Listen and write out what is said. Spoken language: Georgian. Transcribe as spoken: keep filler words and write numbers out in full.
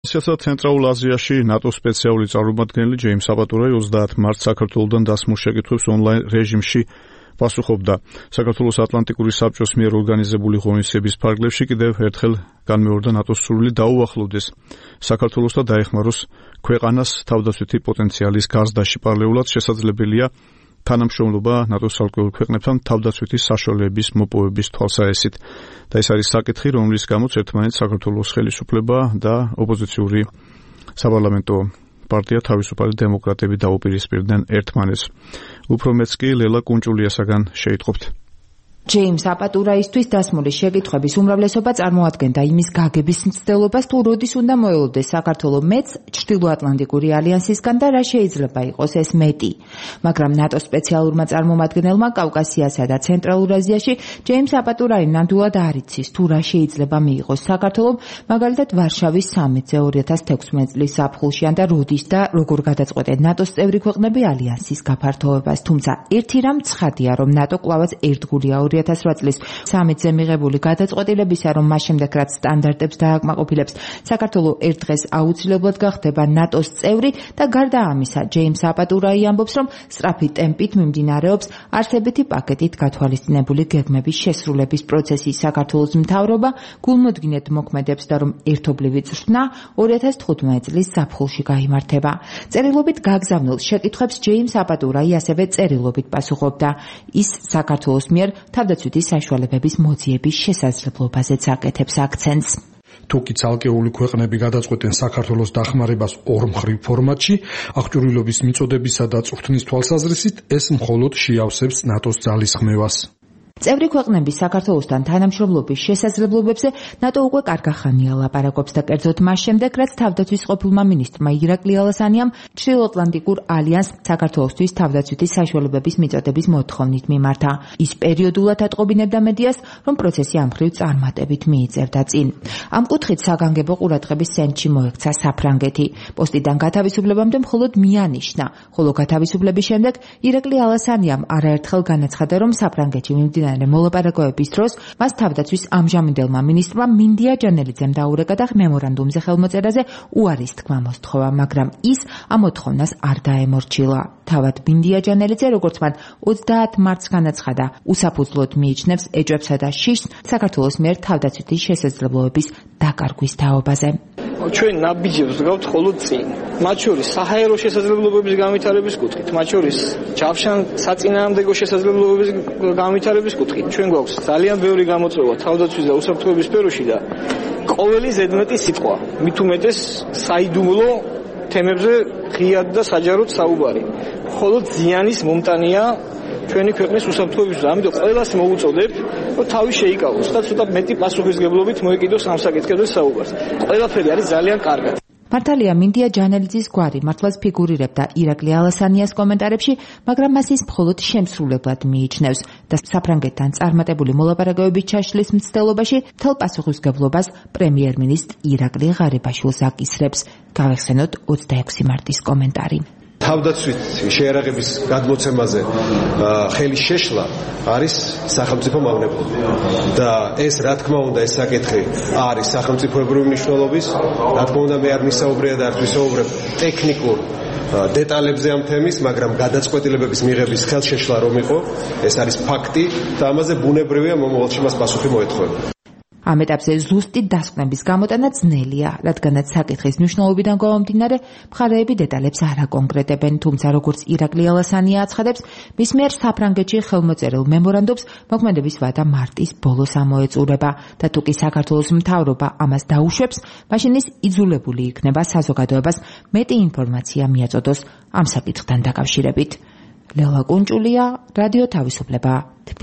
შესაძლოა ცენტრალურ აზიაში ნატოს სპეციალური წარმომადგენელი ჯეიმს აპატურაი ოცდაათ მარტს საქართველოსთან დასმულ შეკითხვებს ონლაინ რეჟიმში პასუხობდა. საქართველოს ატლანტიკური საბჭოს მიერ ორგანიზებული ღონისძიების ფარგლებში კიდევ ერთხელ განმეორდა ნატოს სურვილი დაუახლოვდეს საქართველოს და დაეხმაროს ქვეყანას თავდაცვითი პოტენციალის გაზრდაში. პარალელურად შესაძლებელია თანამშრომლობა ნატოს ალკოჰოლ ქვეყნებთან თავდაცვითი საშუალებების მოპოვების თვალსაჩინოდ. და ეს არის საკითხი, რომლის გამოც ერთმანეთს საქართველოს ხელისუფლება და ოპოზიციური საპარლამენტო პარტია თავისუფალი დემოკრატები დაუპირისპირდნენ ერთმანეთს. უფრო მეც კი ლელა კუნჭულიასაგან შეიტყობთ. ჯეიმს აპატურაისთვის დასმული შეკითხვების უმრავლესობა წარმოადგენდა იმის გაგების მცდელობას, თუ როდის უნდა მოელოდეს საქართველოს მეც ჩრდილოატლანტიკური ალიანსისგან და რა შეიძლება იყოს ეს მეტი. მაგრამ ნატოს სპეციალურმა წარმომადგენელმა კავკასიასა და ცენტრალურ აზიაში ჯეიმს აპატურაი ნამდვილად არ იცის, თუ რა შეიძლება მიიღოს საქართველოს, მაგალითად ვარშავის სამიტზე ორი ათას თექვსმეტი წლის ზაფხულში ან და როდის და როგორ გადაწყვეტენ ნატოს წევრი ქვეყნები ალიანსის გაფართოვებას. თუმცა ერთი რამ ცხადია, რომ ნატო კვლავაც ერთგულია ორი ათას რვა წლის სამიტზე მიღებული გადაწყვეტილებისა, რომ მას შემდეგ რაც სტანდარტებს დააკმაყოფილებს, საქართველოს ერთ დღეს აუცილებლად გახდება ნატოს წევრი და გარდა ამისა, ჯეიმს აპატურაი ამბობს, რომ სწრაფი ტემპით მიმდინარეობს არსებითი პაკეტით გათვალისწინებული გეგმების შესრულების პროცესი. საქართველოს მთავრობა გულმოდგინედ მოქმედებს და რომ ერთობლივი წვრთნა ორი ათას თხუთმეტი წლის ზაფხულში გაიმართება. წერილობით გაგზავნილ შეკითხვებს ჯეიმს აპატურაი ასევე წერილობით პასუხობდა. ის საქართველოს მიერ თავდაცვითი საშუალებების მოძიების შესაძლებლობაზეც აკეთებს აქცენტს. თუკი ცალკეული ქვეყნები გადაწყვეტენ საქართველოს დახმარებას ორმხრივ ფორმატში, აღჭურვილობის მიწოდებისა და წვრთნის თვალსაზრისით, ეს მხოლოდ შეავსებს ნატოს ძალისხმევას. წევრი ქვეყნების საქართველოსთან თანამშრომლობის შესაძლებლობებზე ნატო უკვე კარგახანია ლაპარაკობს და კერძოდ მას შემდეგ, რაც თავდაცვის ყოფილმა მინისტრმა ირაკლი ალასანიამ ჩრდილოატლანტიკურ ალიანსს საქართველოსთვის თავდაცვითი საშუალებების მიწოდების მოთხოვნით მიმართა. ის პერიოდულად ატყობინებდა მედიას, რომ პროცესი ამ მხრივ წარმატებით მიიწევდა წინ. ამ კუთხით საგანგებო ყურადღების ცენტრში მოექცა საფრანგეთი. პოსტიდან გათავისუფლებამდე მხოლოდ მიანიშნა, ხოლო გათავისუფლების შემდეგ ირაკლი ალასანიამ არაერთხელ განაცხადა, რომ საფრანგეთში მიმდინარე მოლაპარაკებების დროს მას თავდაცვის ამჟამინდელმა მინისტრმა მინდია ჯანელიძემ დაურეკა და მემორანდუმზე ხელმოწერაზე უარის თქმა მოსთხოვა, მაგრამ ის ამ მოთხოვნას არ დაემორჩილა. თავად მინდია ჯანელიძე, როგორც მან ოცდაათ მარტს განაცხადა, უსაფუძვლოდ მიიჩნევს ეჭვებსა და შიშს საქართველოს მიერ თავდაცვითი შესაძლებლობების დაკარგვის თაობაზე. ჩვენ ნაბიჯებს ვდგავთ მხოლოდ წინ. მათ შორის საჰაერო შესაძლებლობების განვითარების კუთხით, მათ შორის ჯავშან საწინააღმდეგო შესაძლებლობების განვითარების კუთხით. ჩვენ გვაქვს ძალიან ბევრი გამოწვევა თავდაცვის და უსაფრთხოების სფეროში და ყოველი ზედმეტი სიტყვა, მით უმეტეს საიდუმლო თემებზე ღიად და საჯაროდ საუბარი. მხოლოდ ზიანის მომტანია ჩვენი ქვეყნის უსაფრთხოების. ამიტომ ყველას მოუწოდებთ, რომ თავი შეიკავოს და ცოტა მეტი პასუხისგებლობით მოეკიდოს ამ საკითხებზე საუბარს. ყველაფერი არის ძალიან კარგად. მართალია მინდია ჯანელიძის გვარი მართლაც ფიგურირებდა ირაკლი ალასანიას კომენტარებში, მაგრამ მას ის მხოლოდ შემსრულებლად მიიჩნევს და საფრანგეთთან წარმატებული მოლაპარაკებების ჩაშლის მცდელობაში მთელ პასუხისგებლობას პრემიერ-მინისტრ ირაკლი ღარიბაშვილს აკისრებს. გავეხსენოთ ოცდაექვსი მარტის კომენტარი. თავდაცვით შეერაღების გადმოცემაზე ხელის შეშლა არის სახელმწიფო მავნებლობა და ეს რა თქმა უნდა ეს საკითხი არის სახელმწიფოებრივი მნიშვნელობის. რა თქმა უნდა მე არ ვისაუბრია და არ ვისაუბრებ ტექნიკურ დეტალებზე ამ თემის, მაგრამ გადაწყვეტილებების მიღების ხელშეშლა რომ იყო, ეს არის ფაქტი და ამაზე ბუნებრივია მომავალში მას პასუხი მოეთხოვება. ამ ეტაპზე ზუსტი დასკვნების გამოტანა ძნელია, რადგანაც საკითხის მნიშვნელობიდან გამომდინარე, მხარეები დეტალებს არ აკონკრეტებენ, თუმცა როგორც ირაკლი ალასანია აცხადებს, მის მიერ საფრანგეთში ხელმოწერილ მემორანდუმს მოქმედების ვადა მარტის ბოლოს ამოეწურება და თუ კი საქართველოს მთავრობა ამას დაუშვებს, მაშინ ის იძულებული იქნება საზოგადოებას მეტი ინფორმაცია მიაწოდოს ამ საკითხთან დაკავშირებით. ლელა კუნჭულია, რადიო თავისუფლება, თბილისი.